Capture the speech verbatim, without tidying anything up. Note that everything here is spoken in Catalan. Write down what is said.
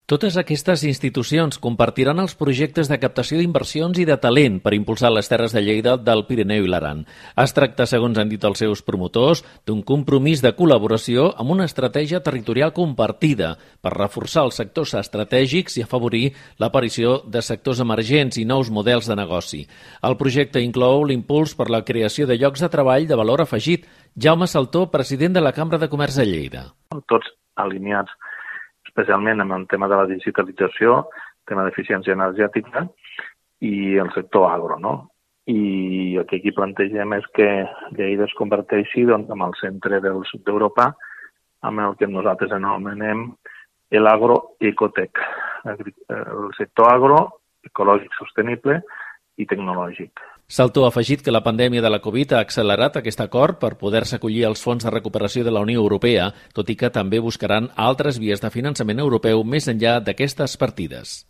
Totes aquestes institucions compartiran els projectes de captació d'inversions i de talent per impulsar les terres de Lleida, del Pirineu i l'Aran. Es tracta, segons han dit els seus promotors, d'un compromís de col·laboració amb una estratègia territorial compartida per reforçar els sectors estratègics i afavorir l'aparició de sectors emergents i nous models de negoci. El projecte inclou l'impuls per la creació de llocs de treball de valor afegit. Jaume Saltó, president de la Cambra de Comerç de Lleida. Tots alineats especialment amb el tema de la digitalització, tema d'eficiència energètica i el sector agro, no? I el que aquí plantegem és que Lleida es converteixi doncs, en el centre del sud d'Europa, amb el que nosaltres anomenem l'agroecotec, el sector agro, ecològic sostenible i tecnològic. Saltó ha afegit que la pandèmia de la Covid ha accelerat aquest acord per poder-se acollir als fons de recuperació de la Unió Europea, tot i que també buscaran altres vies de finançament europeu més enllà d'aquestes partides.